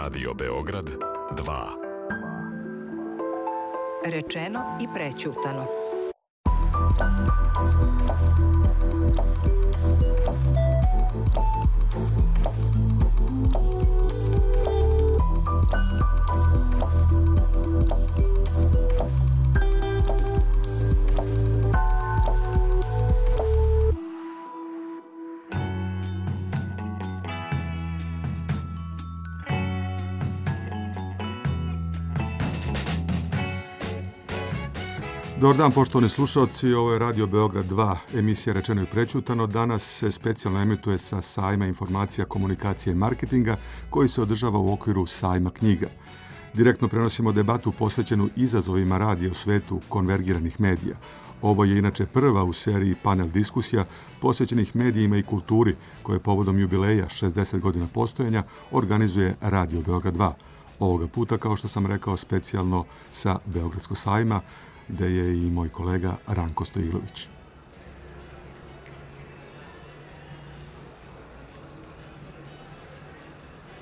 Radio Beograd 2. Rečeno i prećutano. Dobar dan, poštovani slušalci, ovo je Radio Beograd 2, emisija Rečeno i prećutano. Danas se specijalno emituje sa sajma informacija, komunikacije i marketinga koji se održava u okviru sajma knjiga. Direktno prenosimo debatu posvećenu izazovima radija u svetu konvergiranih medija. Ovo je inače prva u seriji panel diskusija posvećenih medijima i kulturi koje povodom jubileja 60 godina postojanja organizuje Radio Beograd 2. Ovoga puta, kao što sam rekao, specijalno sa Beogradskog sajma, gde je i moj kolega Ranko Stojilović.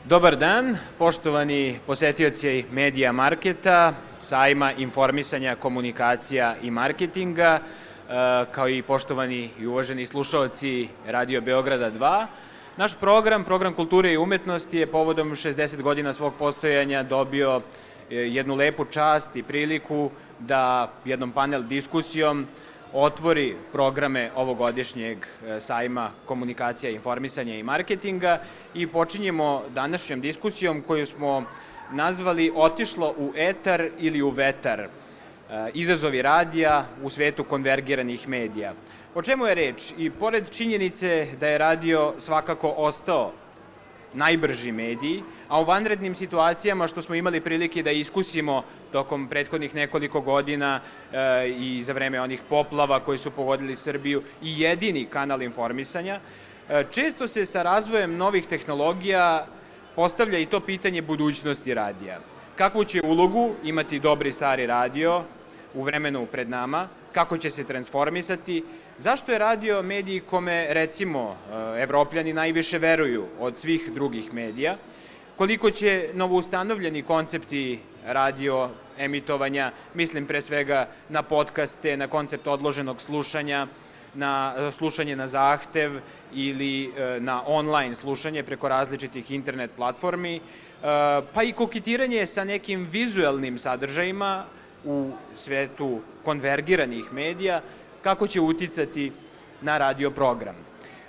Dobar dan, poštovani posetioci medija marketa, sajma informisanja, komunikacija i marketinga, kao i poštovani i uvaženi slušaoci Radio Beograda 2. Naš program kulture i umetnosti je povodom 60 godina svog postojanja dobio jednu lepu čast i priliku da jednom panel diskusijom otvori programe ovogodišnjeg sajma komunikacija, informisanja i marketinga i počinjemo današnjom diskusijom koju smo nazvali Otišlo u etar ili u vetar. Izazovi radija u svetu konvergiranih medija. O čemu je reč? I pored činjenice da je radio svakako ostao najbrži mediji, a u vanrednim situacijama što smo imali prilike da iskusimo tokom prethodnih nekoliko godina i za vreme onih poplava koji su pogodili Srbiju i jedini kanal informisanja, često se sa razvojem novih tehnologija postavlja i to pitanje budućnosti radija. Kakvu će ulogu imati dobri stari radio u vremenu pred nama, kako će se transformisati, zašto je radio medij kome, recimo, Evropljani najviše veruju od svih drugih medija, koliko će novoustanovljeni koncepti radio emitovanja, mislim pre svega na podcaste, na koncept odloženog slušanja, na slušanje na zahtev ili na online slušanje preko različitih internet platformi, pa i koketiranje sa nekim vizuelnim sadržajima u svetu konvergiranih medija, kako će uticati na radio program.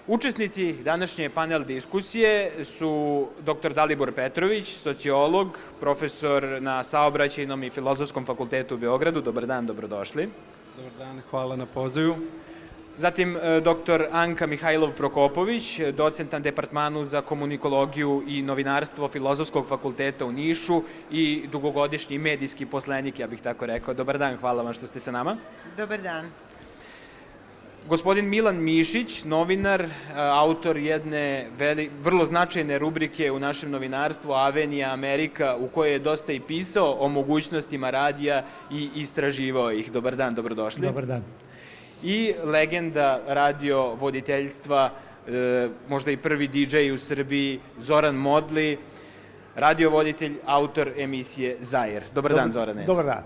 Učesnici današnje panel diskusije su dr. Dalibor Petrović, sociolog, profesor na Saobraćajnom i Filozofskom fakultetu u Beogradu. Dobar dan, dobrodošli. Dobar dan, hvala na pozivu. Zatim dr. Anka Mihajlov-Prokopović, docent na Departmanu za komunikologiju i novinarstvo Filozofskog fakulteta u Nišu i dugogodišnji medijski poslenik, ja bih tako rekao. Dobar dan, hvala vam što ste sa nama. Dobar dan. Gospodin Milan Mišić, novinar, autor jedne vrlo značajne rubrike u našem novinarstvu, Avenija Amerika, u kojoj je dosta i pisao o mogućnostima radija i istraživao ih. Dobar dan, dobrodošli. Dobar dan. I legenda radio voditeljstva, možda i prvi DJ u Srbiji, Zoran Modli, radiovoditelj, autor emisije Zair. Dobar dan, Zorane. Dobar dan.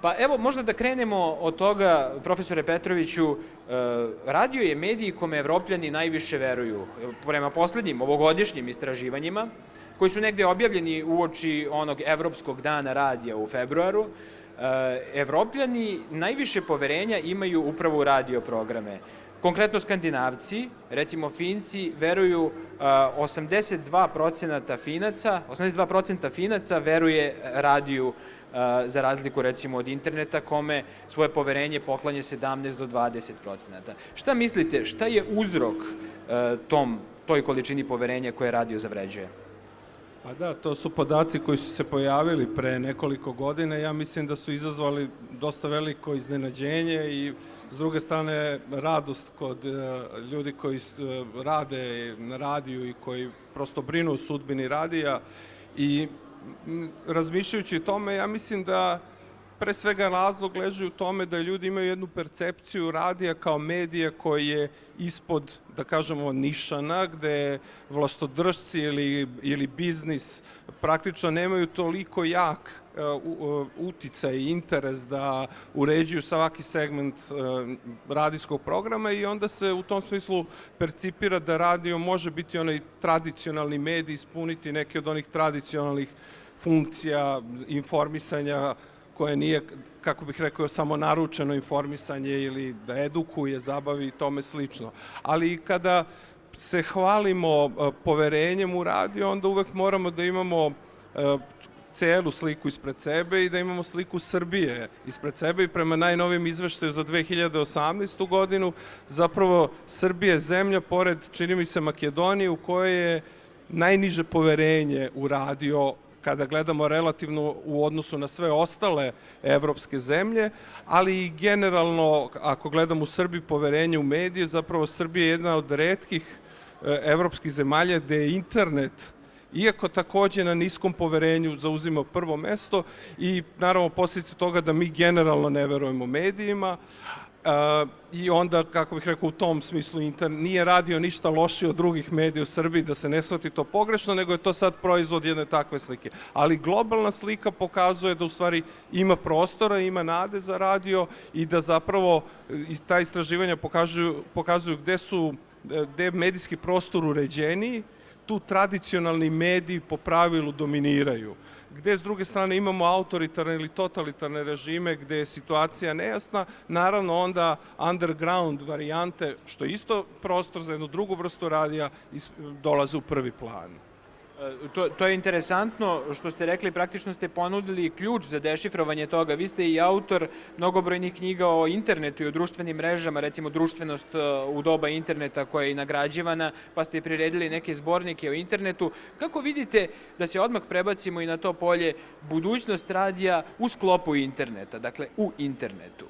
Pa evo, možda da krenemo od toga, profesore Petroviću, radio je medij kome Evropljani najviše veruju. Prema poslednjim ovogodišnjim istraživanjima, koji su negde objavljeni uoči onog Evropskog dana radija u februaru, Evropljani najviše poverenja imaju upravo u radio programe. Konkretno Skandinavci, recimo Finci, veruju 82% Finaca veruje radiju za razliku recimo od interneta kome svoje poverenje poklanja 17 do 20%. Šta mislite, šta je uzrok toj količini poverenja koje radio zavređuje? Pa da, to su podaci koji su se pojavili pre nekoliko godina. Ja mislim da su izazvali dosta veliko iznenađenje i s druge strane radost kod ljudi koji rade na radiju i koji prosto brinu o sudbini radija i razmišljajući o tome, ja mislim da pre svega razlog leži u tome da ljudi imaju jednu percepciju radija kao medija koji je ispod, da kažemo, nišana, gde vlastodržci ili biznis praktično nemaju toliko jak uticaj i interes da uređuju svaki segment radijskog programa i onda se u tom smislu percipira da radio može biti onaj tradicionalni medij, ispuniti neke od onih tradicionalnih funkcija informisanja koje nije, kako bih rekao, samo naručeno informisanje ili da edukuje, zabavi i tome slično. Ali kada se hvalimo poverenjem u radio, onda uvek moramo da imamo celu sliku ispred sebe i da imamo sliku Srbije ispred sebe i prema najnovijem izveštaju za 2018. godinu zapravo Srbija je zemlja, pored, čini mi se, Makedonije, u kojoj je najniže poverenje u radio kada gledamo relativno u odnosu na sve ostale evropske zemlje, ali i generalno, ako gledamo u Srbiji poverenje u medije, zapravo Srbija je jedna od retkih evropskih zemalja gde je internet, iako takođe na niskom poverenju, zauzima prvo mesto i naravno posljedica toga da mi generalno ne verujemo medijima i onda, kako bih rekao, u tom smislu nije radio ništa lošije od drugih medija u Srbiji, da se ne shvati to pogrešno, nego je to sad proizvod jedne takve slike. Ali globalna slika pokazuje da u stvari ima prostora, ima nade za radio i da zapravo ta istraživanja pokazuju gde je medijski prostor uređeniji, tu tradicionalni mediji po pravilu dominiraju. Gde s druge strane imamo autoritarne ili totalitarne režime gde je situacija nejasna, naravno onda underground varijante, što je isto prostor za jednu drugu vrstu radija, dolaze u prvi plan. To je interesantno što ste rekli, praktično ste ponudili ključ za dešifrovanje toga. Vi ste i autor mnogobrojnih knjiga o internetu i o društvenim mrežama, recimo društvenost u doba interneta koja je i nagrađivana, pa ste priredili neke zbornike o internetu. Kako vidite da se odmah prebacimo i na to polje budućnost radija u sklopu interneta, dakle u internetu?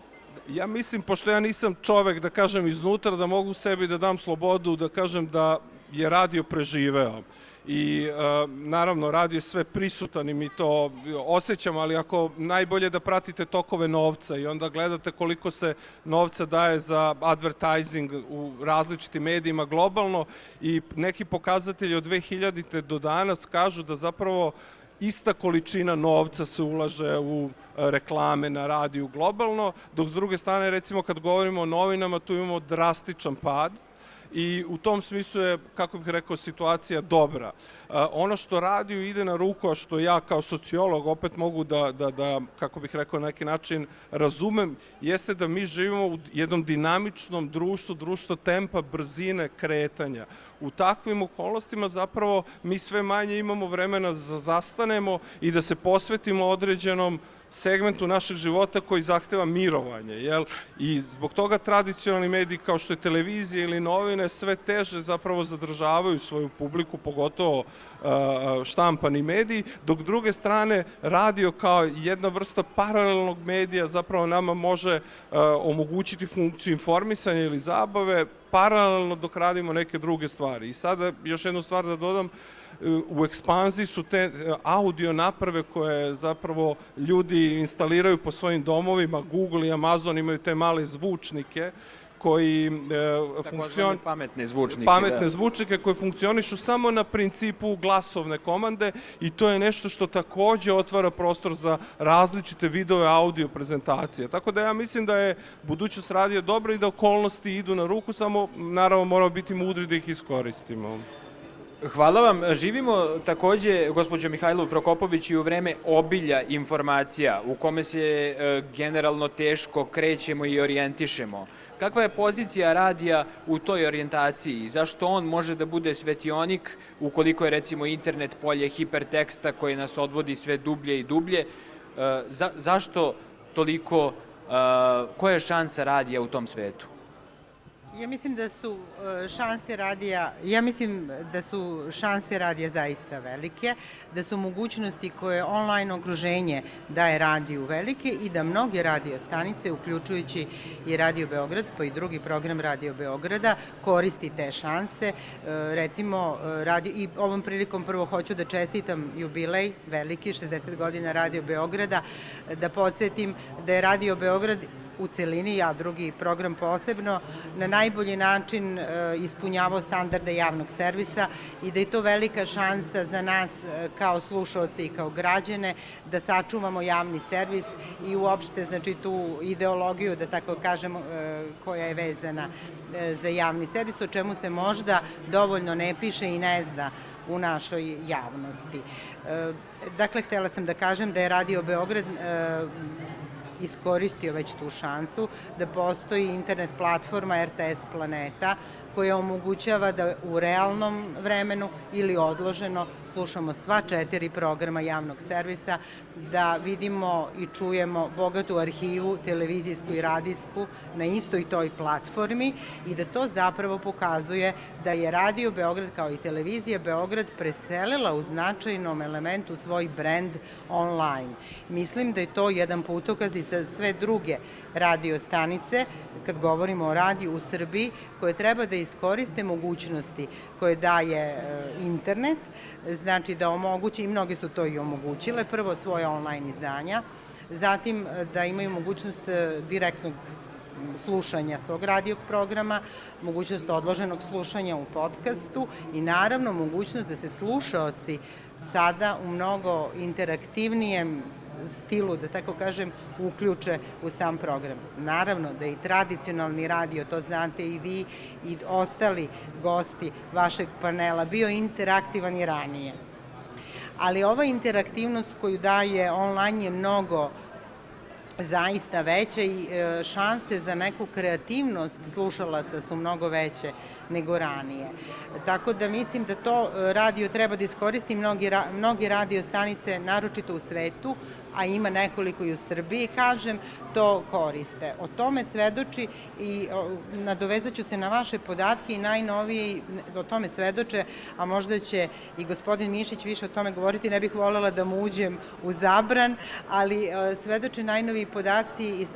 Ja mislim, pošto ja nisam čovek, da kažem, iznutra, da mogu sebi da dam slobodu, da kažem da je radio preživeo. I naravno radio je sve prisutan i mi to osjećamo, ali ako najbolje da pratite tokove novca i onda gledate koliko se novca daje za advertising u različitim medijima globalno i neki pokazatelji od 2000. do danas kažu da zapravo ista količina novca se ulaže u reklame na radiju globalno, dok s druge strane, recimo kad govorimo o novinama, tu imamo drastičan pad. I u tom smislu je, kako bih rekao, situacija dobra. Ono što radiju ide na ruku, a što ja kao sociolog opet mogu da kako bih rekao, na neki način razumem, jeste da mi živimo u jednom dinamičnom društvu tempa, brzine, kretanja. U takvim okolnostima zapravo mi sve manje imamo vremena da zastanemo i da se posvetimo određenom segmentu našeg života koji zahteva mirovanje. I zbog toga tradicionalni mediji kao što je televizija ili novine sve teže zapravo zadržavaju svoju publiku, pogotovo štampani mediji, dok druge strane radio kao jedna vrsta paralelnog medija zapravo nama može omogućiti funkciju informisanja ili zabave paralelno dok radimo neke druge stvari. I sada još jednu stvar da dodam, u ekspanziji su te audio naprave koje zapravo ljudi instaliraju po svojim domovima. Google i Amazon imaju te male zvučnike koji pametne zvučnike koji funkcionišu samo na principu glasovne komande i to je nešto što takođe otvara prostor za različite videove audio prezentacije. Tako da ja mislim da je budućnost radija dobra i da okolnosti idu na ruku, samo naravno moramo biti mudri da ih iskoristimo. Hvala vam. Živimo takođe, gospođo Mihajlov Prokopović, i u vreme obilja informacija u kome se generalno teško krećemo i orijentišemo. Kakva je pozicija radija u toj orijentaciji i zašto on može da bude svetionik ukoliko je recimo internet polje hiperteksta koji nas odvodi sve dublje i dublje? Zašto toliko, koja je šansa radija u tom svetu? mislim da su šanse radija zaista velike, da su mogućnosti koje online okruženje daje radiju velike i da mnoge radio stanice, uključujući i Radio Beograd, pa i drugi program Radio Beograda, koristi te šanse. Recimo, i ovom prilikom prvo hoću da čestitam jubilej veliki, 60 godina Radio Beograda, da podsjetim da je Radio Beograd u celini, a drugi program posebno, na najbolji način ispunjavao standarde javnog servisa i da je to velika šansa za nas kao slušaoce i kao građane da sačuvamo javni servis i uopšte, znači, tu ideologiju, da tako kažemo, koja je vezana za javni servis, o čemu se možda dovoljno ne piše i ne zna u našoj javnosti. Dakle, htela sam da kažem da je Radio Beograd iskoristio već tu šansu, da postoji internet platforma RTS Planeta koja omogućava da u realnom vremenu ili odloženo slušamo sva 4 programa javnog servisa, da vidimo i čujemo bogatu arhivu, televizijsku i radijsku na istoj toj platformi i da to zapravo pokazuje da je Radio Beograd kao i Televizija Beograd preselila u značajnom elementu svoj brend online. Mislim da je to jedan putokaz i sa sve druge radio stanice, kad govorimo o radiju u Srbiji, koje treba da iskoriste mogućnosti koje daje internet, znači da omogući, i mnogi su to i omogućile, prvo svoje online izdanja, zatim da imaju mogućnost direktnog slušanja svog radijog programa, mogućnost odloženog slušanja u podcastu i naravno mogućnost da se slušaoci sada u mnogo interaktivnijem stilu, da tako kažem, uključe u sam program. Naravno da i tradicionalni radio, to znate i vi i ostali gosti vašeg panela, bio interaktivan i ranije. Ali ova interaktivnost koju daje online je mnogo zaista veće i šanse za neku kreativnost slušalaca su mnogo veće nego ranije. Tako da mislim da to radio treba da iskoristi mnogi radio stanice, naročito u svetu, a ima nekoliko i u Srbiji, kažem, to koriste. O tome svedoči i nadovezat ću se na vaše podatke i najnoviji o tome svedoče, a možda će i gospodin Mišić više o tome govoriti, ne bih voljela da mu uđem u zabran, ali svedoče najnoviji podaci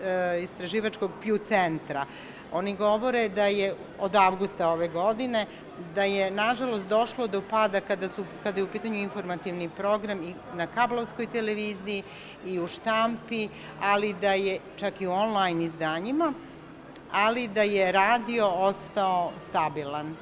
istraživačkog Pew centra. Oni govore da je od avgusta ove godine, da je nažalost došlo do pada kada je u pitanju informativni program i na kablovskoj televiziji i u štampi, ali da je čak i u online izdanjima, ali da je radio ostao stabilan.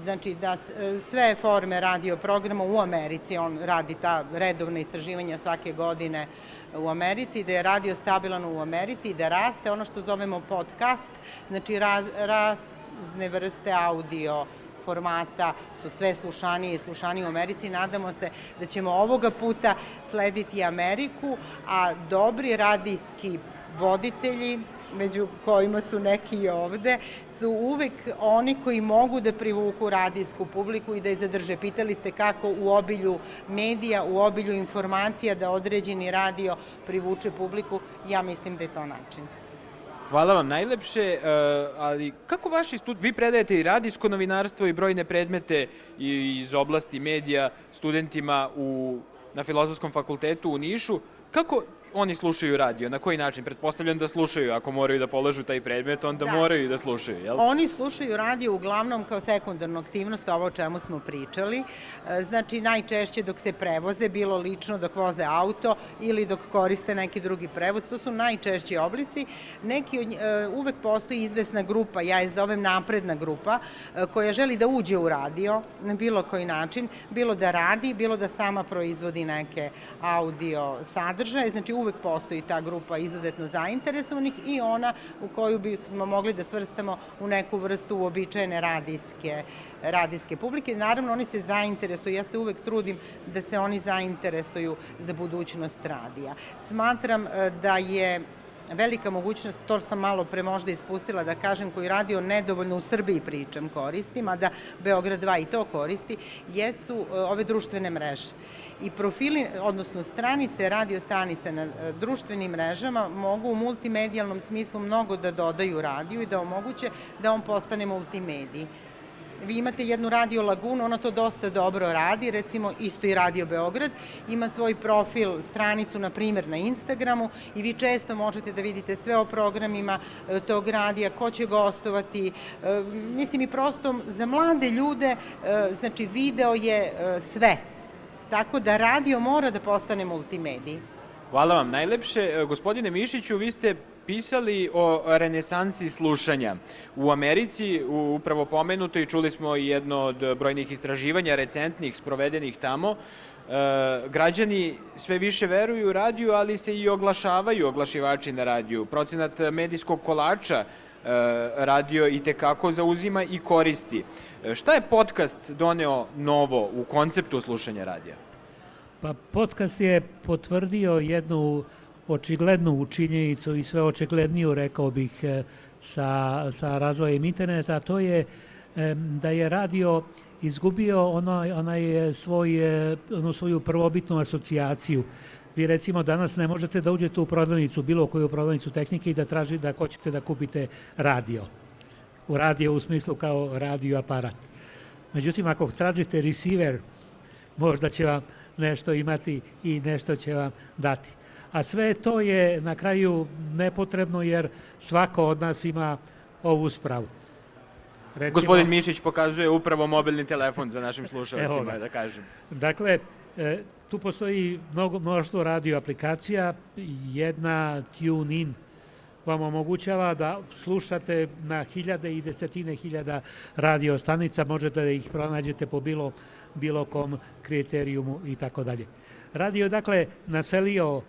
Znači da sve forme radio programa u Americi, on radi ta redovna istraživanja svake godine u Americi, da je radio stabilan u Americi i da raste ono što zovemo podcast, znači razne vrste audio formata su sve slušanije i slušanije u Americi. Nadamo se da ćemo ovoga puta slediti Ameriku, a dobri radijski voditelji, među kojima su neki i ovde, su uvek oni koji mogu da privuku radijsku publiku i da je zadrže. Pitali ste kako u obilju medija, u obilju informacija da određeni radio privuče publiku. Ja mislim da je to način. Hvala vam najlepše, ali kako vi predajete i radijsko novinarstvo i brojne predmete iz oblasti medija studentima na Filozofskom fakultetu u Nišu, kako oni slušaju radio? Na koji način? Pretpostavljam da slušaju. Ako moraju da polažu taj predmet, onda moraju da slušaju, jel? Oni slušaju radio uglavnom kao sekundarnu aktivnost, ovo o čemu smo pričali. Znači, najčešće dok se prevoze, bilo lično dok voze auto ili dok koriste neki drugi prevoz. To su najčešći oblici. Uvek postoji izvesna grupa, ja je zovem napredna grupa, koja želi da uđe u radio na bilo koji način, bilo da radi, bilo da sama proizvodi neke audio sadržaje. Znači, uvek postoji ta grupa izuzetno zainteresovanih i ona u koju bismo mogli da svrstamo u neku vrstu uobičajene radijske publike. Naravno, oni se zainteresuju, ja se uvek trudim da se oni zainteresuju za budućnost radija. Smatram da je velika mogućnost, to sam malo pre možda ispustila da kažem, koji radio nedovoljno u Srbiji pričam koristim, a da Beograd 2 i to koristi, jesu ove društvene mreže. I profili, odnosno stranice radio stanica na društvenim mrežama mogu u multimedijalnom smislu mnogo da dodaju radiju i da omoguće da on postane multimedij. Vi imate jednu Radio Lagunu, ona to dosta dobro radi, recimo isto i Radio Beograd, ima svoj profil, stranicu, na primjer, na Instagramu i vi često možete da vidite sve o programima tog radija, ko će gostovati. Mislim i prosto za mlade ljude, znači video je sve, tako da radio mora da postane multimedij. Hvala vam najlepše. Gospodine Mišiću, vi ste pisali o renesansi slušanja u Americi, upravo pomenuto, i čuli smo jedno od brojnih istraživanja recentnih sprovedenih tamo. Građani sve više veruju radiju, ali se i oglašavaju oglašivači na radiju. Procenat medijskog kolača radio i tekako zauzima i koristi. Šta je podcast doneo novo u konceptu slušanja radija? Pa podcast je potvrdio jednu očiglednu činjenicu i sve očigledniju, rekao bih, sa razvojem interneta, a to je da je radio izgubio onu svoju prvobitnu asocijaciju. Vi recimo danas ne možete da uđete u prodavnicu, bilo koju prodavnicu tehnike i da traži da hoćete da kupite radio. U radio u smislu kao radio aparat. Međutim, ako tražite receiver, možda će vam nešto imati i nešto će vam dati. A sve to je na kraju nepotrebno jer svako od nas ima ovu spravu. Recimo, gospodin Mišić pokazuje upravo mobilni telefon za našim slušalcima, da kažem. Dakle, tu postoji mnoštvo radio aplikacija. Jedna TuneIn vam omogućava da slušate na hiljade i desetine hiljada radio stanica, možete da ih pronađete po bilo kom kriterijumu i tako dalje. Radio je dakle naselio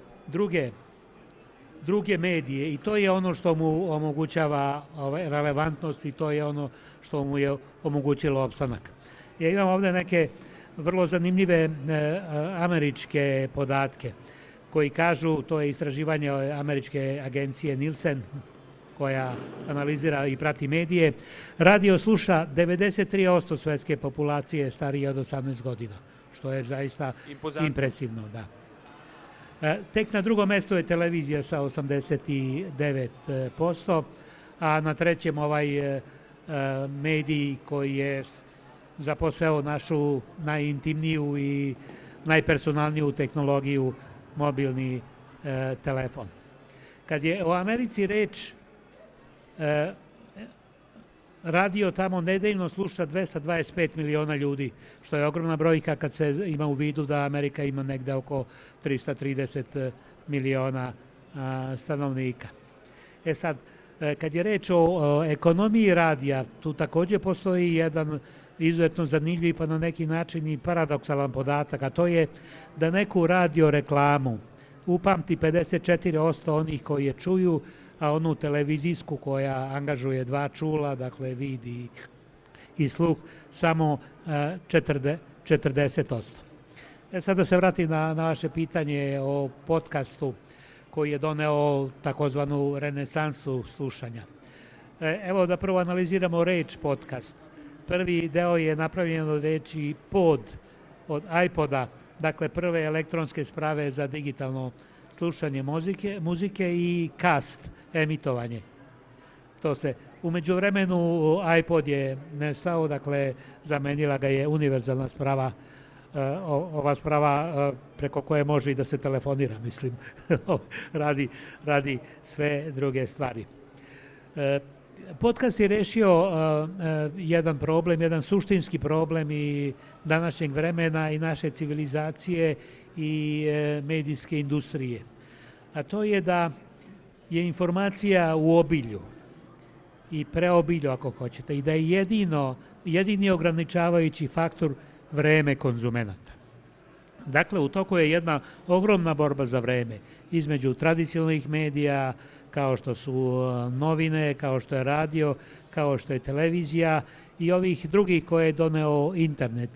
druge medije i to je ono što mu omogućava relevantnost i to je ono što mu je omogućilo opstanak. Ja imam ovdje neke vrlo zanimljive američke podatke koji kažu, to je istraživanje američke agencije Nielsen koja analizira i prati medije, radio sluša 93% svetske populacije starije od 18 godina, što je zaista impresivno, da. Tek na drugom mjestu je televizija sa 89%, a na trećem ovaj medij koji je zaposeo našu najintimniju i najpersonalniju tehnologiju, mobilni telefon. Kad je o Americi reč, radio tamo nedeljno sluša 225 miliona ljudi, što je ogromna brojka kad se ima u vidu da Amerika ima negde oko 330 miliona stanovnika. Sad, kad je reč o ekonomiji radija, tu također postoji jedan izuzetno zanimljiv pa na neki način i paradoksalan podatak, a to je da neku radio reklamu upamti 54% onih koji je čuju, a onu televizijsku koja angažuje dva čula, dakle vid i sluh, samo 40%. Sad da se vratim na vaše pitanje o podcastu koji je doneo takozvanu renesansu slušanja. Evo da prvo analiziramo reč podcast. Prvi deo je napravljen od reči pod, od iPoda, dakle prve elektronske sprave za digitalno slušanje muzike i cast, emitovanje. To se u međuvremenu iPod je nestao, dakle zamenila ga je univerzalna sprava, ova sprava preko koje može i da se telefonira, mislim, radi sve druge stvari. Podcast je rešio jedan problem, jedan suštinski problem i današnjeg vremena i naše civilizacije i medijske industrije. A to je da je informacija u obilju i preobilju, ako hoćete, i da je jedini ograničavajući faktor vreme konzumenata. Dakle, u toku je jedna ogromna borba za vreme između tradicionalnih medija, kao što su novine, kao što je radio, kao što je televizija i ovih drugih koje je doneo internet.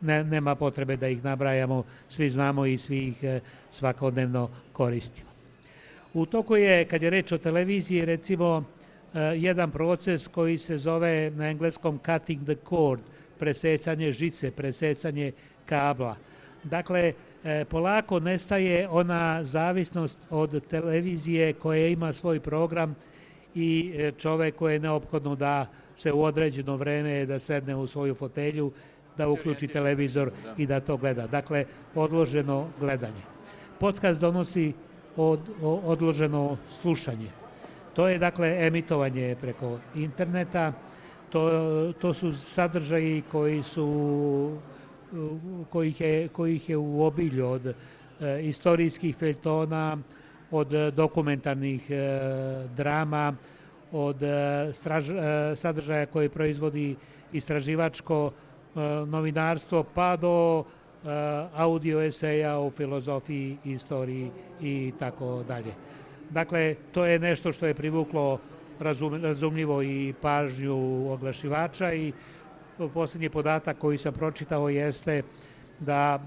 Nema potrebe da ih nabrajamo, svi znamo i svi ih svakodnevno koristimo. U toku je, kad je reč o televiziji, recimo jedan proces koji se zove na engleskom cutting the cord, presecanje žice, presecanje kabla. Dakle, polako nestaje ona zavisnost od televizije koja ima svoj program i čovek koji je neophodno da se u određeno vreme da sedne u svoju fotelju, da uključi televizor i da to gleda. Dakle, odloženo gledanje. Podcast donosi odloženo slušanje. To je, dakle, emitovanje preko interneta. To su sadržaji kojih je u obilju, od istorijskih feljtona, od dokumentarnih drama, od sadržaja koje proizvodi istraživačko novinarstvo, pa do audio eseja o filozofiji, istoriji i tako dalje. Dakle, to je nešto što je privuklo razumljivo i pažnju oglašivača i posljednji podatak koji sam pročitao jeste da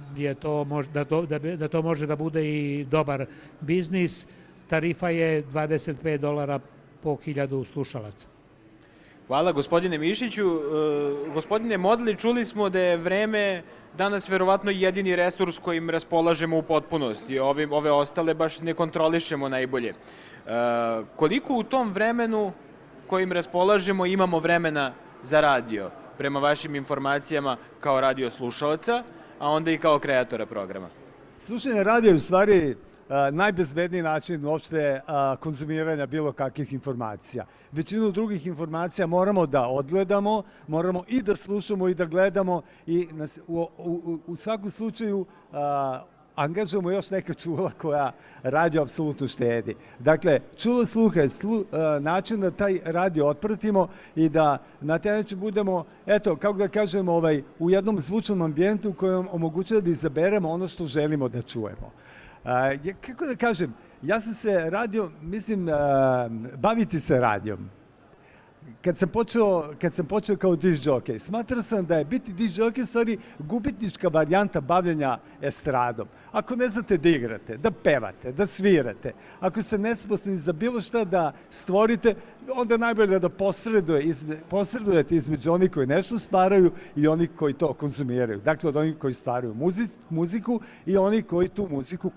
to može da bude i dobar biznis. Tarifa je $25 po 1000 slušalaca. Hvala gospodine Mišiću. Gospodine Modli, čuli smo da je vreme danas verovatno jedini resurs kojim raspolažemo u potpunosti. Ove ostale baš ne kontrolišemo najbolje. Koliko u tom vremenu kojim raspolažemo imamo vremena za radio, prema vašim informacijama kao radio slušaoca, a onda i kao kreatora programa? Slušanje radio je u stvari najbezbedniji način uopšte konzumiranja bilo kakvih informacija. Većinu drugih informacija moramo da odgledamo, moramo i da slušamo i da gledamo i u svakom slučaju angažujemo još neka čula koja radio apsolutno štedi. Dakle, čulo sluha je način da taj radio otpratimo i da na taj način budemo, eto, kako da kažemo, u jednom zvučnom ambijentu kojem omogućuje da izaberemo ono što želimo da čujemo. Kako da kažem, ja sam se baviti se radijom. Kad sam počeo kao disc jockey, smatrao sam da je biti disc jockey u stvari gubitnička varijanta bavljenja estradom. Ako ne znate da igrate, da pevate, da svirate, ako ste nesposobni za bilo šta da stvorite, onda je najbolje da posredujete između onih koji nešto stvaraju i onih koji to konzumiraju. Dakle, od onih koji stvaraju muziku i onih koji tu muziku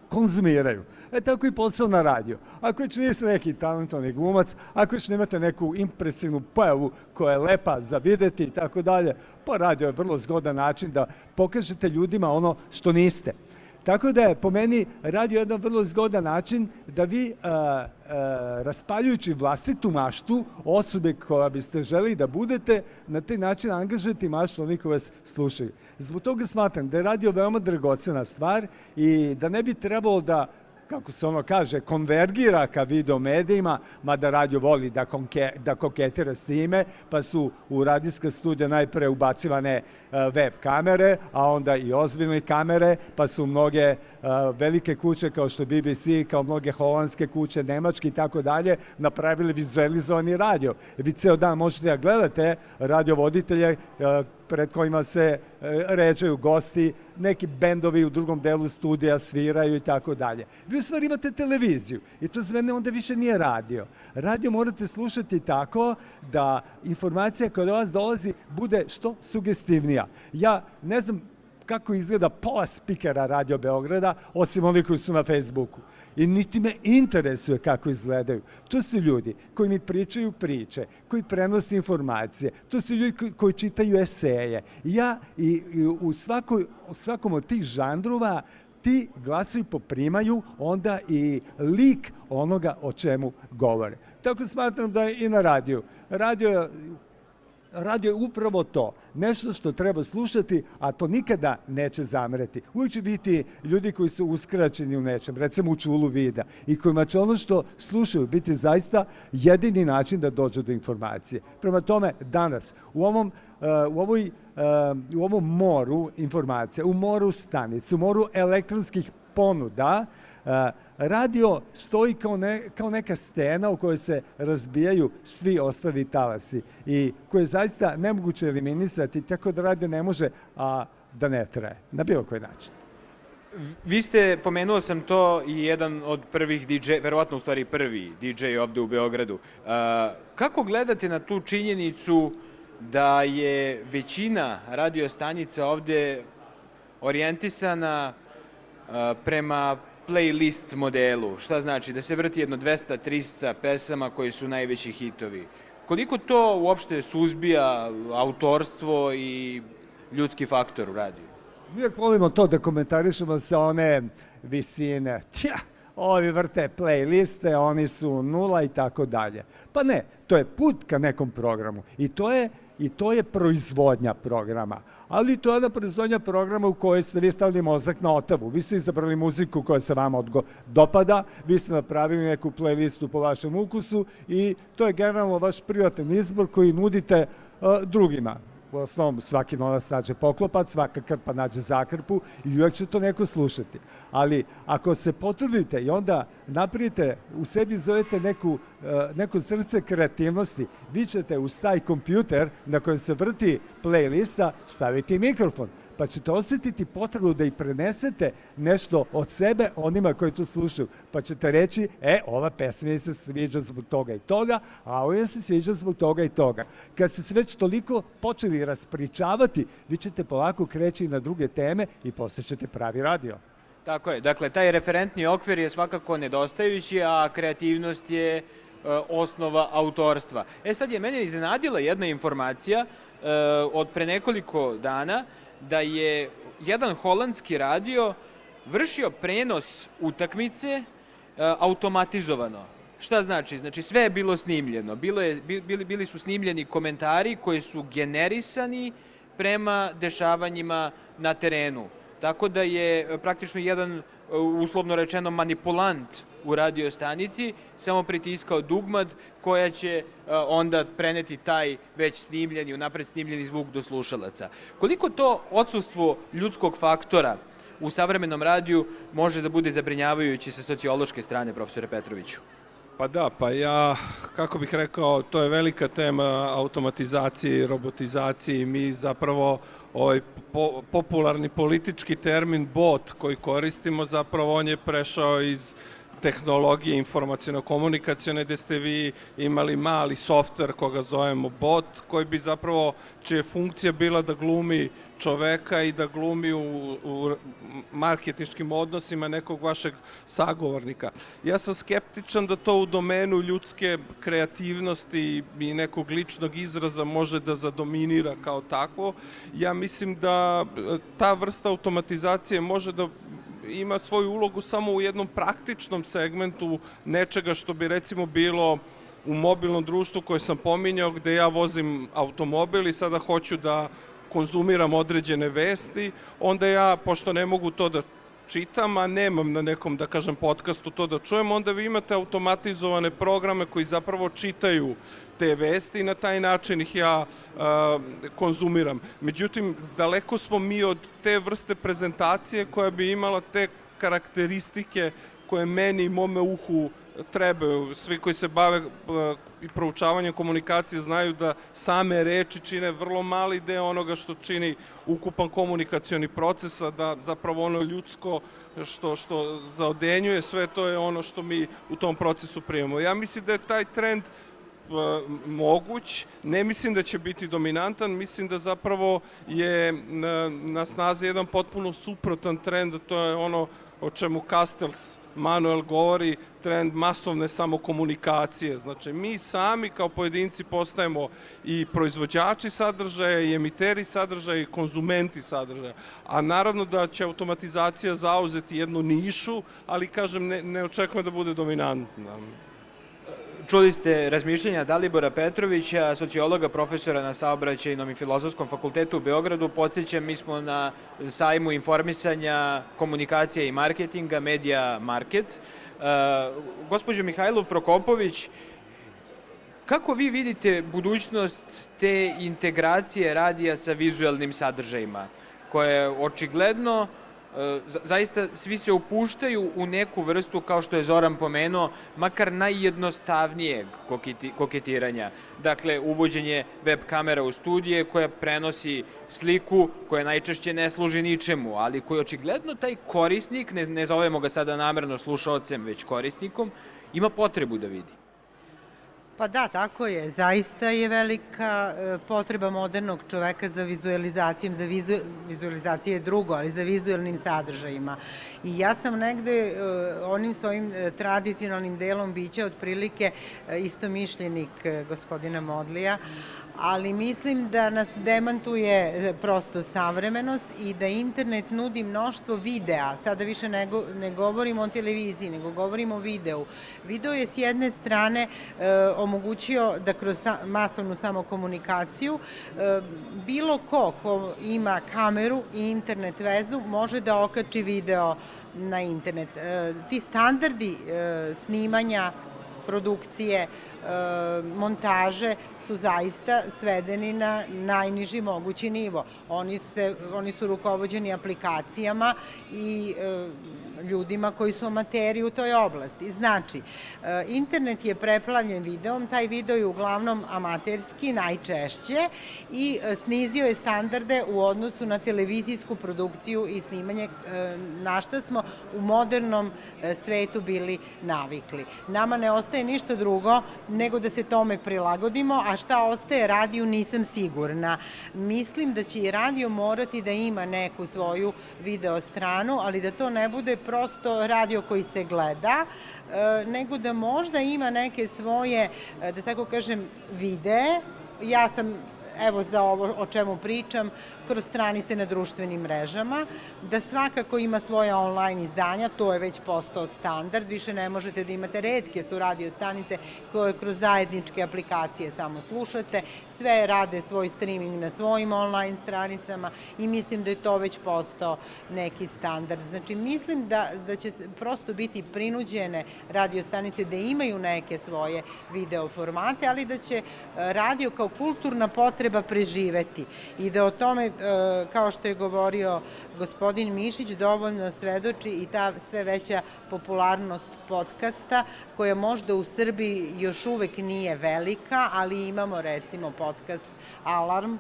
konzumiraju. Tako i posao na radio. Ako još niste neki talentovani glumac, ako još nemate neku impresivnu pojavu koja je lepa za videti i tako dalje, pa radio je vrlo zgodan način da pokažete ljudima ono što niste. Tako da je po meni radio jedan vrlo zgodan način da vi, raspaljujući vlastitu maštu osobe koja biste želi da budete, na taj način angažujete maštu onih koji vas slušaju. Zbog toga smatram da je radio veoma dragocena stvar i da ne bi trebalo da, kako se ono kaže, konvergira ka video medijima, mada radio voli da koketira s time, pa su u radijska studija najpre ubacivane web kamere, a onda i ozbiljne kamere, pa su mnoge velike kuće kao što BBC, kao mnoge holandske kuće, nemačke i tako dalje, napravili vizualizovani radio. Vi ceo dan možete da gledate radiovoditelje pred kojima se ređaju gosti, neki bendovi u drugom delu studija sviraju i tako dalje. Vi u stvari imate televiziju i to za mene onda više nije radio. Radio morate slušati tako da informacija koja do vas dolazi bude što sugestivnija. Ja ne znam kako izgleda pola spikera Radio Beograda, osim onih koji su na Facebooku. I niti me interesuje kako izgledaju. To su ljudi koji mi pričaju priče, koji prenose informacije, to su ljudi koji čitaju eseje. Ja i u svakom od tih žanrova ti glasovi poprimaju onda i lik onoga o čemu govore. Tako smatram da je i na radiju. Radio je upravo to, nešto što treba slušati, a to nikada neće zamerati. Uvijek će biti ljudi koji su uskraćeni u nečem, recimo u čulu vida, i kojima će ono što slušaju biti zaista jedini način da dođu do informacije. Prema tome, danas, u ovom moru informacija, u moru stanica, u moru elektronskih ponuda, radio stoji kao neka stena u kojoj se razbijaju svi ostali talasi i koje je zaista nemoguće eliminisati, tako da radio ne može da ne traje, na bilo koji način. Vi ste, pomenuo sam to, i jedan od prvih DJ, verovatno u stvari prvi DJ ovde u Beogradu. Kako gledate na tu činjenicu da je većina radio stanica ovde orijentisana prema playlist modelu? Šta znači? Da se vrti jedno 200-300 pesama koji su najveći hitovi. Koliko to uopšte suzbija autorstvo i ljudski faktor u radiju? Uvijek volimo to da komentarišemo sa one visine. Ovi vrte playliste, oni su nula i tako dalje. Pa ne, to je put ka nekom programu. I to je proizvodnja programa. Ali to je jedna proizvodnja programa u kojoj ste vi stavili mozak na otavu. Vi ste izabrali muziku koja se vama dopada, vi ste napravili neku playlistu po vašem ukusu i to je generalno vaš privatan izbor koji nudite drugima. U osnovom, svaki novac nađe poklopac, svaka krpa nađe zakrpu i uvijek će to neko slušati. Ali ako se potrudite i onda napravite, u sebi zovete neko srce kreativnosti, vi ćete uz taj kompjuter na kojem se vrti playlista staviti mikrofon, pa ćete osjetiti potrebu da i prenesete nešto od sebe onima koji to slušaju. Pa ćete reći, ova pesma mi se sviđa zbog toga i toga, a ova se sviđa zbog toga i toga. Kad ste se već toliko počeli raspričavati, vi ćete polako kreći na druge teme i posle ćete pravi radio. Tako je. Dakle, taj referentni okvir je svakako nedostajući, a kreativnost je osnova autorstva. Sad je mene iznenadila jedna informacija od pre nekoliko dana, da je jedan holandski radio vršio prenos utakmice automatizovano. Šta znači? Znači sve je bilo snimljeno. Bili su snimljeni komentari koji su generisani prema dešavanjima na terenu. Tako da je praktično jedan, uslovno rečeno, manipulant u radio stanici samo pritiskao dugmad koja će onda preneti taj već snimljeni, unapred snimljeni zvuk do slušalaca. Koliko to odsustvo ljudskog faktora u savremenom radiju može da bude zabrinjavajući sa sociološke strane, profesore Petroviću? Pa da, kako bih rekao, to je velika tema automatizacije i robotizacije i mi zapravo ovaj popularni politički termin bot koji koristimo, zapravo on je prešao iz tehnologije informaciono-komunikacione, gde ste vi imali mali softver koga zovemo bot, koji bi zapravo, čija je funkcija bila da glumi čoveka i da glumi u marketinškim odnosima nekog vašeg sagovornika. Ja sam skeptičan da to u domenu ljudske kreativnosti i nekog ličnog izraza može da zadominira kao takvo. Ja mislim da ta vrsta automatizacije može da ima svoju ulogu samo u jednom praktičnom segmentu nečega što bi recimo bilo u mobilnom društvu koje sam pominjao, gde ja vozim automobil i sada hoću da konzumiram određene vesti, onda ja, pošto ne mogu to da čitam, a nemam na nekom, da kažem, podcastu to da čujem, onda vi imate automatizovane programe koji zapravo čitaju te vesti i na taj način ih ja konzumiram. Međutim, daleko smo mi od te vrste prezentacije koja bi imala te karakteristike koje meni i mome uhu trebaju. Svi koji se bave i proučavanjem komunikacije znaju da same reči čine vrlo mali deo onoga što čini ukupan komunikacioni proces, a da zapravo ono ljudsko što zaodenjuje sve to je ono što mi u tom procesu primamo. Ja mislim da je taj trend moguć, ne mislim da će biti dominantan, mislim da zapravo je na snazi jedan potpuno suprotan trend, a to je ono o čemu Castells Manuel govori, trend masovne samokomunikacije. Znači, mi sami kao pojedinci postajemo i proizvođači sadržaja, i emiteri sadržaja, i konzumenti sadržaja. A naravno da će automatizacija zauzeti jednu nišu, ali, kažem, ne očekujem da bude dominantna. Čuli ste razmišljenja Dalibora Petrovića, sociologa, profesora na Saobraćajnom i Filozofskom fakultetu u Beogradu. Podsjećam, mi smo na sajmu informisanja, komunikacija i marketinga, Media Market. Gospođo Mihajlov Prokopović, kako vi vidite budućnost te integracije radija sa vizuelnim sadržajima, koje očigledno zaista svi se upuštaju u neku vrstu, kao što je Zoran pomenuo, makar najjednostavnijeg koketiranja. Dakle, uvođenje web kamera u studije koja prenosi sliku koja najčešće ne služi ničemu, ali koji očigledno taj korisnik, ne zovemo ga sada namerno slušaocem, već korisnikom, ima potrebu da vidi. Pa da, tako je. Zaista je velika potreba modernog čoveka za vizualizacijom, vizualizacija je drugo, ali za vizualnim sadržajima. I ja sam negde onim svojim tradicionalnim delom bića otprilike istomišljenik gospodina Modlija, ali mislim da nas demantuje prosto savremenost i da internet nudi mnoštvo videa. Sada više ne govorimo o televiziji, nego govorimo o videu. Video je s jedne strane omogućio da kroz masovnu samokomunikaciju bilo ko ima kameru i internet vezu može da okači video na internet. Ti standardi snimanja, produkcije, montaže su zaista svedeni na najniži mogući nivo. Oni su rukovođeni aplikacijama i ljudima koji su amateri u toj oblasti. Znači, internet je preplavljen videom, taj video je uglavnom amaterski, najčešće, i snizio je standarde u odnosu na televizijsku produkciju i snimanje, na šta smo u modernom svetu bili navikli. Nama ne ostaje ništa drugo nego da se tome prilagodimo, a šta ostaje radiju nisam sigurna. Mislim da će i radio morati da ima neku svoju video stranu, ali da to ne bude prosto radio koji se gleda, nego da možda ima neke svoje, da tako kažem, videe. Ja sam, evo za ovo o čemu pričam, kroz stranice na društvenim mrežama, da svakako ima svoje online izdanja, to je već postao standard, više ne možete da imate, retke su radio stanice koje kroz zajedničke aplikacije samo slušate, sve rade svoj streaming na svojim online stranicama i mislim da je to već postao neki standard. Znači, mislim da će prosto biti prinuđene radio stanice da imaju neke svoje video formate, ali da će radio kao kulturna potreba preživeti i da o tome, kao što je govorio gospodin Mišić, dovoljno svedoči i ta sve veća popularnost podcasta, koja možda u Srbiji još uvek nije velika, ali imamo recimo podcast Alarm,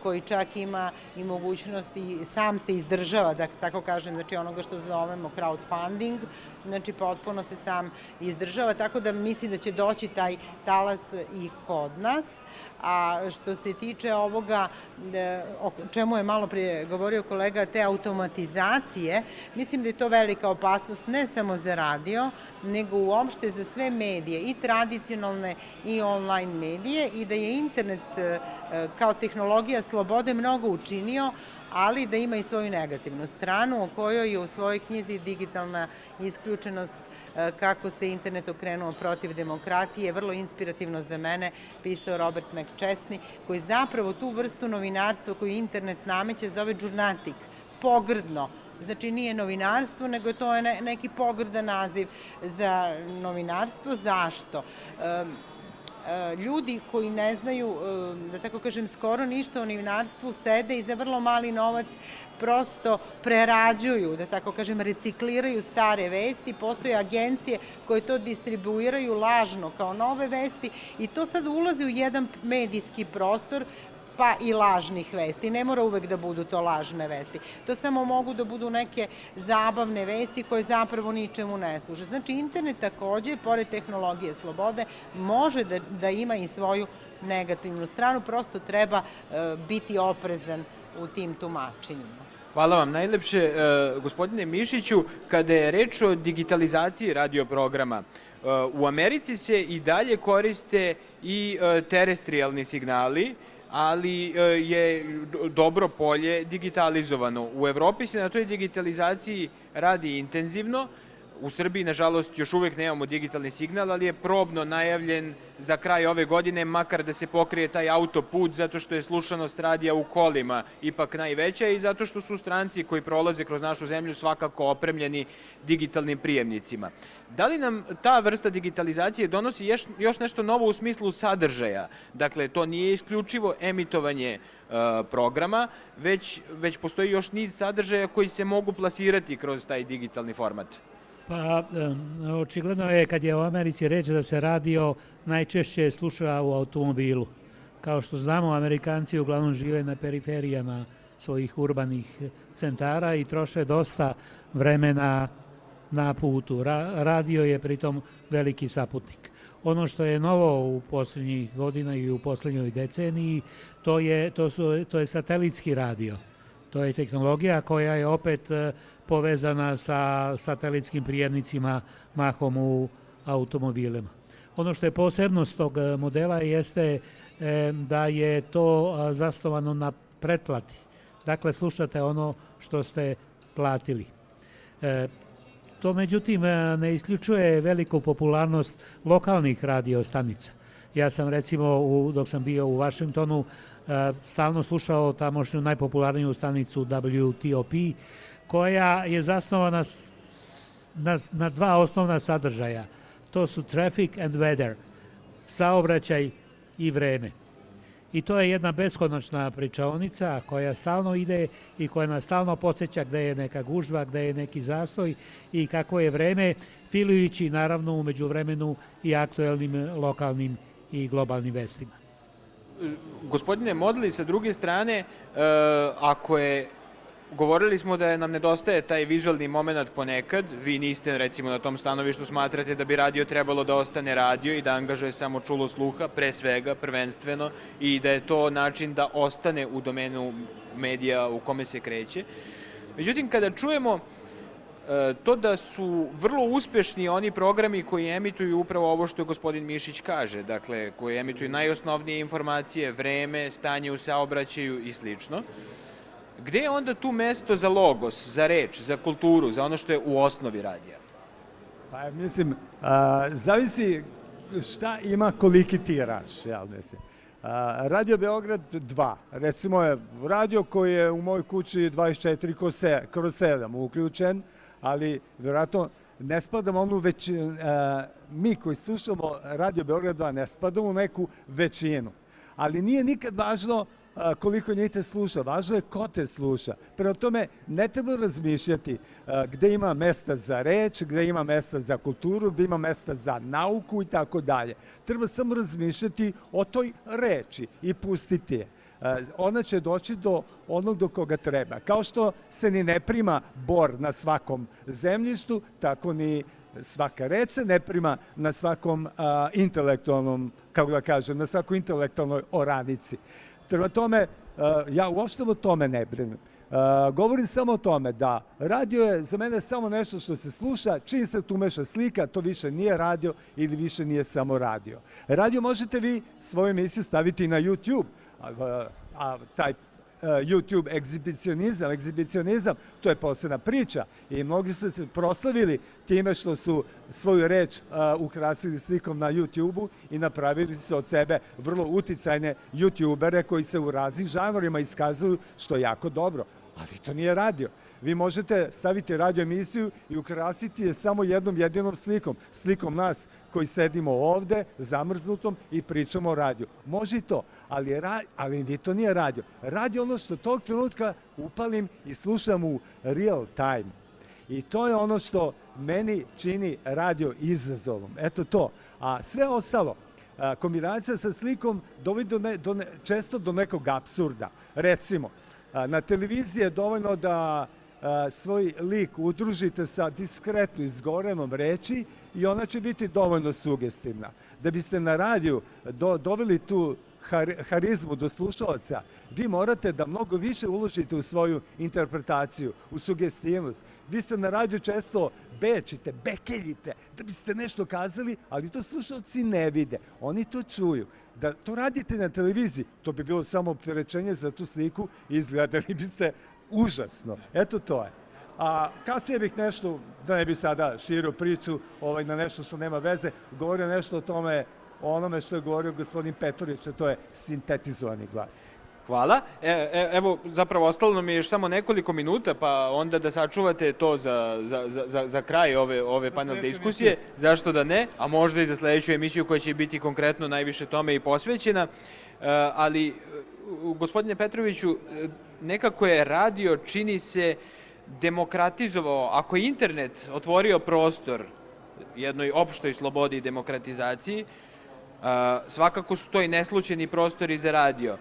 koji čak ima i mogućnost i sam se izdržava, da tako kažem, znači onoga što zovemo crowdfunding, znači potpuno se sam izdržava, tako da mislim da će doći taj talas i kod nas. A što se tiče ovoga, o čemu je malo prije govorio kolega, te automatizacije, mislim da je to velika opasnost ne samo za radio, nego uopšte za sve medije, i tradicionalne i online medije, i da je internet kao tehnologija slobode mnogo učinio, ali da ima i svoju negativnu stranu, o kojoj je u svojoj knjizi Digitalna isključenost, kako se internet okrenuo protiv demokratije, vrlo inspirativno za mene pisao Robert McChesney, koji zapravo tu vrstu novinarstva koju internet nameće zove džurnatik, pogrdno. Znači, nije novinarstvo, nego to je neki pogrdan naziv za novinarstvo. Zašto? Ljudi koji ne znaju, da tako kažem, skoro ništa o novinarstvu, sede i za vrlo mali novac prosto prerađuju, da tako kažem, recikliraju stare vesti. Postoje agencije koje to distribuiraju lažno kao nove vesti i to sad ulazi u jedan medijski prostor, pa i lažnih vesti. Ne mora uvek da budu to lažne vesti. To samo mogu da budu neke zabavne vesti koje zapravo ničemu ne služe. Znači, internet takođe, pored tehnologije slobode, može da ima i svoju negativnu stranu, prosto treba biti oprezan u tim tumačenjima. Hvala vam najlepše, gospodine Mišiću. Kada je reč o digitalizaciji radioprograma, u Americi se i dalje koriste i terestrijalni signali, ali je dobro polje digitalizovano. U Evropi se na toj digitalizaciji radi intenzivno. U Srbiji, nažalost, još uvek nemamo digitalni signal, ali je probno najavljen za kraj ove godine, makar da se pokrije taj autoput, zato što je slušanost radija u kolima ipak najveća i zato što su stranci koji prolaze kroz našu zemlju svakako opremljeni digitalnim prijemnicima. Da li nam ta vrsta digitalizacije donosi još nešto novo u smislu sadržaja? Dakle, to nije isključivo emitovanje programa, već postoji još niz sadržaja koji se mogu plasirati kroz taj digitalni format. Pa, očigledno je kad je u Americi reč da se radio najčešće sluša u automobilu. Kao što znamo, Amerikanci uglavnom žive na periferijama svojih urbanih centara i troše dosta vremena na putu. Radio je pritom veliki saputnik. Ono što je novo u posljednjih godina i u posljednjoj deceniji, to je satelitski radio. To je tehnologija koja je opet povezana sa satelitskim prijemnicima mahom u automobilima. Ono što je posebnost tog modela jeste da je to zasnovano na pretplati. Dakle, slušate ono što ste platili. To međutim ne isključuje veliku popularnost lokalnih radio stanica. Ja sam recimo dok sam bio u Vašingtonu stalno slušao tamošnju najpopularniju stanicu WTOP koja je zasnovana na dva osnovna sadržaja. To su traffic and weather, saobraćaj i vreme. I to je jedna beskonačna pričaonica koja stalno ide i koja nas stalno podsjeća gde je neka gužva, gde je neki zastoj i kako je vreme, filujući naravno u međuvremenu i aktuelnim lokalnim i globalnim vestima. Gospodine Modli, sa druge strane, govorili smo da nam nedostaje taj vizualni moment ponekad, vi niste recimo na tom stanovištu, smatrate da bi radio trebalo da ostane radio i da angažuje samo čulo sluha, pre svega, prvenstveno, i da je to način da ostane u domenu medija u kome se kreće. Međutim, kada čujemo to da su vrlo uspešni oni programi koji emituju upravo ovo što gospodin Mišić kaže, dakle, koji emituju najosnovnije informacije, vreme, stanje u saobraćaju i slično, gde je onda tu mesto za logos, za reč, za kulturu, za ono što je u osnovi radija? Pa mislim, zavisi šta ima koliki tiraž, ja mislim. Radio Beograd 2, recimo je radio koji je u mojoj kući 24/7 uključen, ali vjerojatno ne spadamo onu većinu, mi koji slušamo Radio Beograd 2 ne spadamo u neku većinu, ali nije nikad važno koliko njih te sluša, važno je ko te sluša. Prema tome, ne treba razmišljati gde ima mesta za reč, gde ima mesta za kulturu, gde ima mesta za nauku i tako dalje. Treba samo razmišljati o toj reči i pustiti je. Ona će doći do onog do koga treba. Kao što se ni ne prima bor na svakom zemljištu, tako ni svaka reč se ne prima na svakom intelektualnom, kako da kažem, na svakoj intelektualnoj oranici. Prema tome, ja uopšte o tome ne brinem. Govorim samo o tome da radio je za mene samo nešto što se sluša, čim se tu meša slika, to više nije radio ili više nije samo radio. Radio možete vi svoju emisiju staviti na YouTube, a taj YouTube egzibicionizam, to je posebna priča i mnogi su se proslavili time što su svoju reč ukrasili slikom na YouTube-u i napravili su od sebe vrlo uticajne YouTubere koji se u raznim žanrima iskazuju, što je jako dobro. Ali to nije radio. Vi možete staviti radio emisiju i ukrasiti je samo jednom jedinom slikom nas koji sedimo ovde, zamrznutom i pričamo o radiju. Može i to, ali to nije radio. Radio ono što tog trenutka upalim i slušam u real time. I to je ono što meni čini radio izazovom. Eto to. A sve ostalo, kombinacija sa slikom dovodi često do nekog apsurda. Recimo, na televiziji je dovoljno da svoj lik udružite sa diskretno izgovorenom reči i ona će biti dovoljno sugestivna. Da biste na radiju doveli tu harizmu do slušalaca, vi morate da mnogo više uložite u svoju interpretaciju, u sugestivnost. Vi ste na radiju često bekeljite, da biste nešto kazali, ali to slušalci ne vide. Oni to čuju. Da to radite na televiziji, to bi bilo samo opterećenje za tu sliku i izgledali biste užasno. Eto to je. A kasnije bih nešto, da ne bi sada širio priču na nešto što nema veze, govorio nešto o tome, o onome što je govorio gospodin Petrović, a to je sintetizovani glas. Hvala. Evo, zapravo ostalo nam je još samo nekoliko minuta, pa onda da sačuvate to za kraj ove panel diskusije. Zašto da ne? A možda i za sledeću emisiju koja će biti konkretno najviše tome i posvećena. Ali, gospodine Petroviću, nekako je radio, čini se, demokratizovao, ako je internet otvorio prostor jednoj opštoj slobodi i demokratizaciji, svakako su to i neslučajni prostori za radio.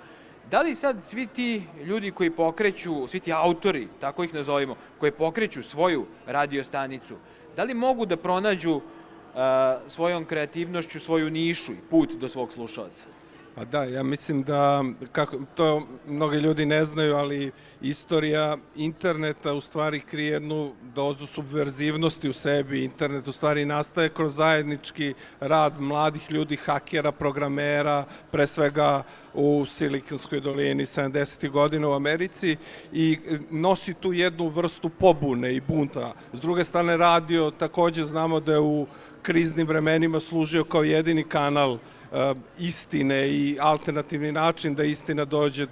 Da li sad svi ti ljudi koji pokreću, svi ti autori, tako ih nazovimo, koji pokreću svoju radio-stanicu, da li mogu da pronađu svojom kreativnošću svoju nišu i put do svog slušalca? Pa da, ja mislim da, to mnogi ljudi ne znaju, ali istorija interneta u stvari krije jednu dozu subverzivnosti u sebi. Internet u stvari nastaje kroz zajednički rad mladih ljudi, hakera, programera, pre svega u Silikonskoj dolini 70. godina u Americi i nosi tu jednu vrstu pobune i bunta. S druge strane, radio takođe znamo da je u kriznim vremenima služio kao jedini kanal istine i alternativni način da istina dođe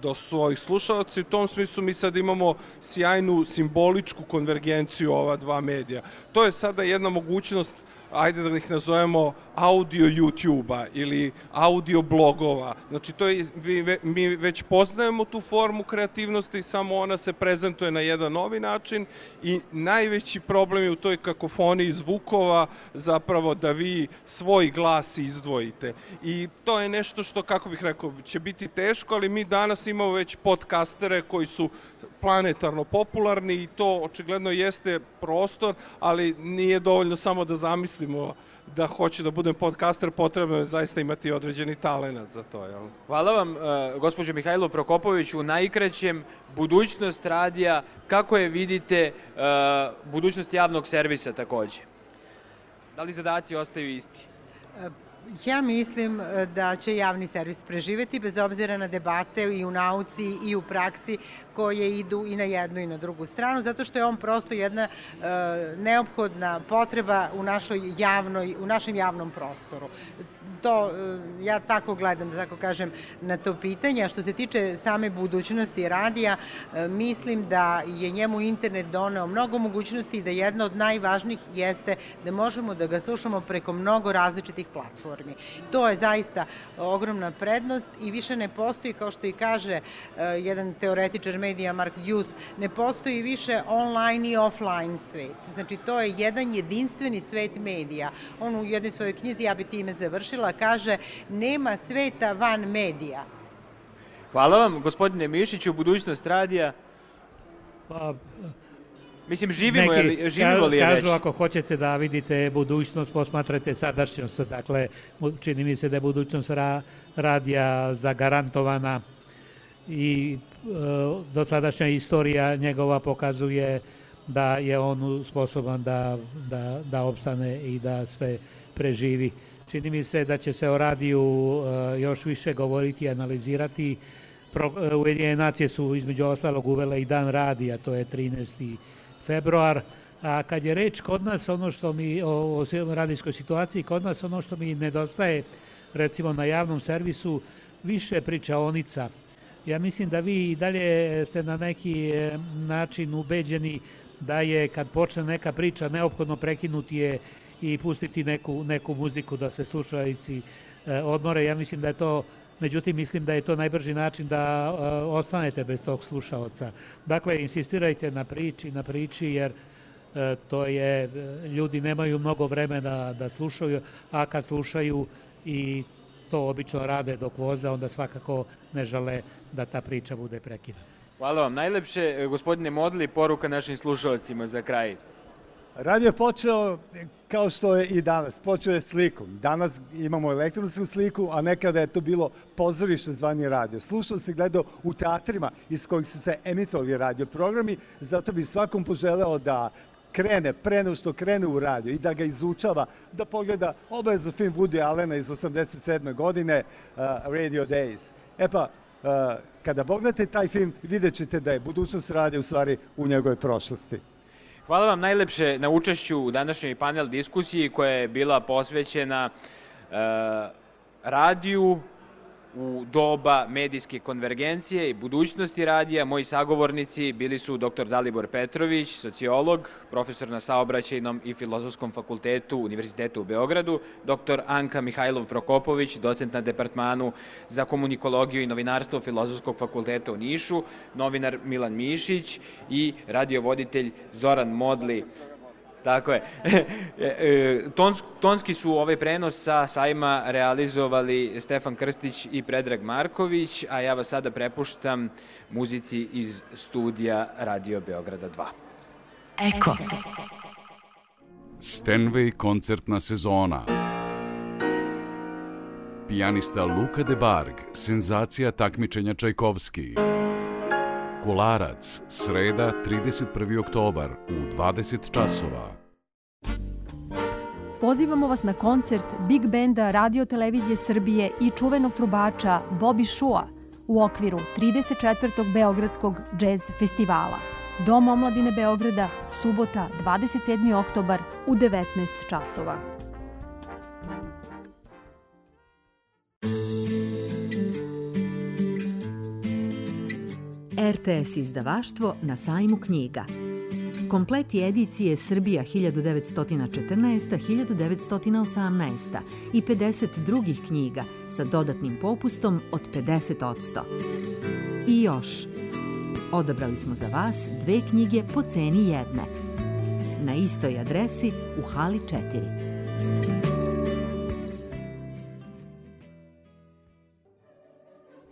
do svojih slušalaca. U tom smislu mi sad imamo sjajnu simboličku konvergenciju ova dva medija. To je sada jedna mogućnost, ajde da ih nazovemo audio YouTube-a ili audio blogova. Znači, mi već poznajemo tu formu kreativnosti, samo ona se prezentuje na jedan novi način i najveći problem je u toj kakofoniji zvukova zapravo da vi svoj glas izdvojite. I to je nešto što, kako bih rekao, će biti teško, ali mi danas imamo već podcastere koji su planetarno popularni i to očigledno jeste prostor, ali nije dovoljno samo da zamislimo da hoće da budem podcaster, potrebno je zaista imati određeni talenat za to. Jel? Hvala vam, gospođo Mihajlo Prokopović, u najkraćem budućnost radija, kako je vidite budućnost javnog servisa takođe? Da li zadaci ostaju isti? Ja mislim da će javni servis preživeti bez obzira na debate i u nauci i u praksi koje idu i na jednu i na drugu stranu, zato što je on prosto jedna neophodna potreba u našem javnom prostoru. To, ja tako gledam, da tako kažem, na to pitanje. A što se tiče same budućnosti radija, mislim da je njemu internet doneo mnogo mogućnosti i da jedna od najvažnijih jeste da možemo da ga slušamo preko mnogo različitih platformi. To je zaista ogromna prednost i više ne postoji, kao što i kaže jedan teoretičar medija, Mark Hughes, ne postoji više online i offline svet. Znači, to je jedan jedinstveni svet medija. On u jednoj svojoj knjizi, ja bi time završila, kaže, nema sveta van medija. Hvala vam, gospodine Mišiću, budućnost radija. Mislim, živimo li je već? Kažu, ako hoćete da vidite budućnost, posmatrajte sadašnjost. Dakle, čini mi se da je budućnost radija zagarantovana i dosadašnja istorija njegova pokazuje da je on sposoban da opstane i da sve preživi. Čini mi se da će se o radiju još više govoriti i analizirati. Ujedinjene nacije su između ostalog uvele i dan radija, to je 13. februar. A kad je reč kod nas, o radijskoj situaciji, kod nas ono što mi nedostaje, recimo na javnom servisu, više pričaonica. Ja mislim da vi i dalje ste na neki način ubeđeni da je kad počne neka priča neophodno prekinuti je i pustiti neku muziku da se slušalici odmore. Ja mislim da je to, međutim mislim da je to najbrži način da ostanete bez tog slušaoca. Dakle, insistirajte na priči jer to je, ljudi nemaju mnogo vremena da slušaju, a kad slušaju i to obično rade dok voze, onda svakako ne žele da ta priča bude prekinuta. Hvala vam najlepše. Gospodine Modli, poruka našim slušalcima za kraj. Radio je počeo kao što je i danas, počeo je slikom. Danas imamo elektronsku sliku, a nekada je to bilo pozorište zvani radio. Slušao se gledao u teatrima iz kojih su se emitovali radio programi, zato bi svakom poželeo da krene, pre nego što krene u radio i da ga izučava, da pogleda obavezno film Woody Allena iz 87. godine, Radio Days. E pa, kada pogledate taj film, vidjet ćete da je budućnost radija u stvari u njegovoj prošlosti. Hvala vam najlepše na učešću u današnjoj panel diskusiji koja je bila posvećena radiju u doba medijske konvergencije i budućnosti radija. Moji sagovornici bili su dr. Dalibor Petrović, sociolog, profesor na Saobraćajnom i Filozofskom fakultetu Univerzitetu u Beogradu, dr. Anka Mihajlov-Prokopović, docent na Departmanu za komunikologiju i novinarstvo Filozofskog fakulteta u Nišu, novinar Milan Mišić i radiovoditelj Zoran Modli. Tako je. Tonski su ovaj prenos sa sajma realizovali Stefan Krstić i Predrag Marković, a ja vas sada prepuštam muzici iz studija Radio Beograda 2. Eko. Stenway koncertna sezona. Pijanista Luka de Barg, senzacija takmičenja Čajkovski. Kolarac, sreda, 31. oktobar u 20 časova. Pozivamo vas na koncert Big Benda Radio Televizije Srbije i čuvenog trubača Bobby Shua u okviru 34. Beogradskog džez festivala. Dom omladine Beograda, subota, 27. oktobar u 19 časova. RTS izdavaštvo na sajmu knjiga. Kompleti edicije Srbija 1914-1918 i 50 drugih knjiga sa dodatnim popustom od 50%. I još, odabrali smo za vas 2 knjige po ceni jedne. Na istoj adresi u hali 4.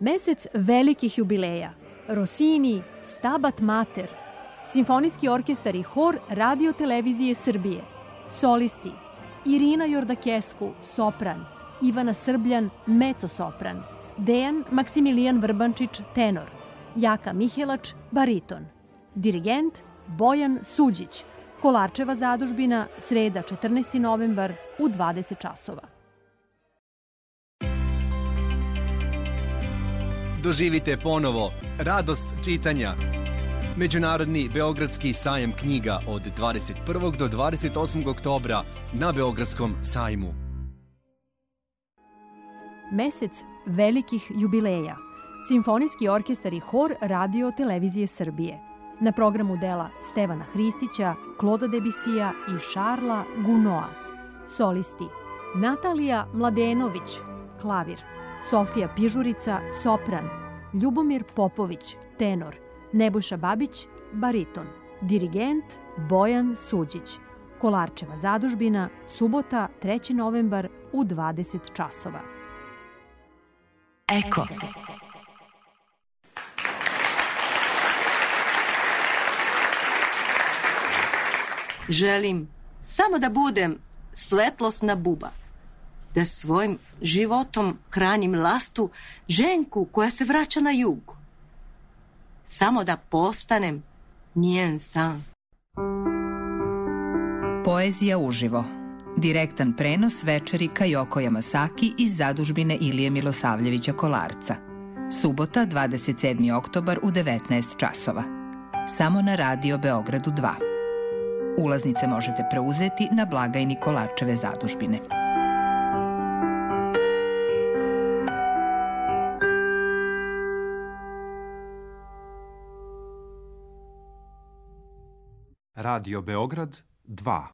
Mesec velikih jubileja. Rossini, Stabat Mater, Simfonijski orkestar i hor Radio Televizije Srbije, solisti Irina Jordakesku, sopran, Ivana Srbljan, mezzo-sopran, Dejan Maksimilijan Vrbančić, tenor, Jaka Mihelač, bariton, dirigent Bojan Suđić, Kolarčeva zadužbina, sreda 14. novembar u 20 časova. Doživite ponovo radost čitanja. Međunarodni Beogradski sajam knjiga od 21. do 28. oktobra na Beogradskom sajmu. Mesec velikih jubileja. Simfonijski orkestar i hor Radio Televizije Srbije. Na programu dela Stevana Hristića, Kloda Debisija i Šarla Gunoa. Solisti Natalija Mladenović, klavir, Sofija Pižurica, sopran, Ljubomir Popović, tenor, Nebojša Babić, bariton, dirigent Bojan Suđić, Kolarčeva zadužbina, subota 3. novembar u 20 časova. Eko. Želim samo da budem svetlosna buba, da svojim životom hranim lastu ženku koja se vraća na jug. Samo da postanem njen san. Poezija uživo. Direktan prenos večeri Kajoko Yamasaki iz zadužbine Ilije Milosavljevića Kolarca. Subota, 27. oktobar u 19 časova. Samo na Radio Beogradu 2. Ulaznice možete preuzeti na blagajni Kolarčeve zadužbine. Radio Beograd 2.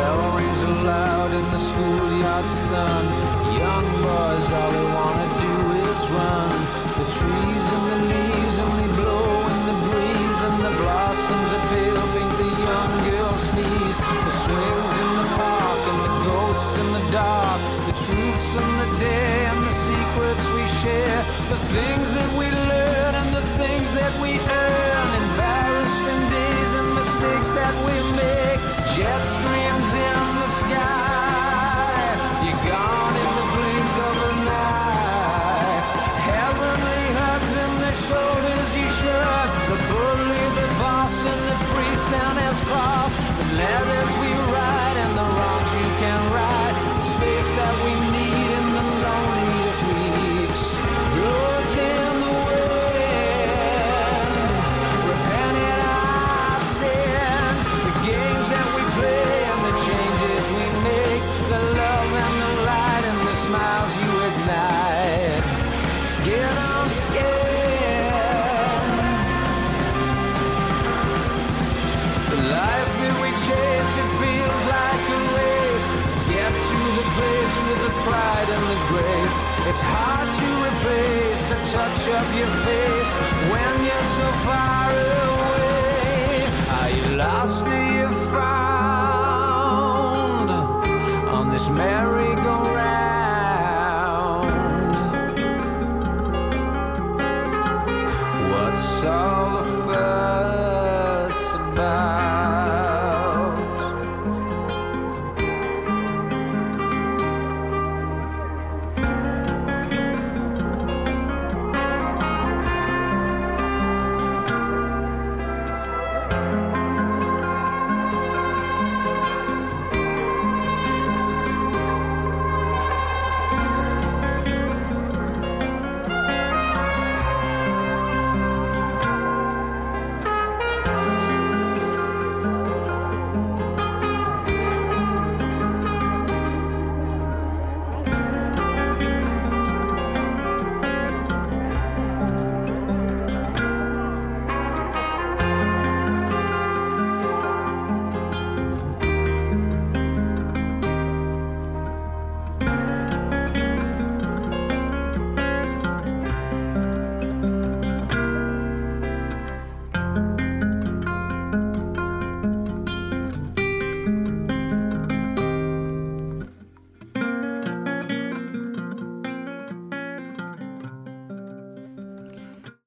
bell rings aloud in the schoolyard sun. Young boys, all they wanna do is run. The trees and the leaves only blow in the breeze, and the blossoms are pale pink, the young girls sneeze. The swings in the park and the ghosts in the dark, the truths and the dare and the secrets we share, the things that we learn and the things that we earn, embarrassing days and mistakes that we make, jet streams in the sky, you're gone in the blink of an eye, heavenly hugs in the shoulders you shrug, the bully, the boss and the priest and his cross, the letters we write and the wrongs you can right, the space that we need in the loneliest weeks, blows in the wind, repenting our sins, the games that we play and the changes we make, the love and the light and the smiles you ignite, skin on skin, the life that we chase, it feels like a race, to get to the place with the pride and the grace, it's hard to replace the touch of your face when you're so far away. Are you lost, are you found on this merry-go-round?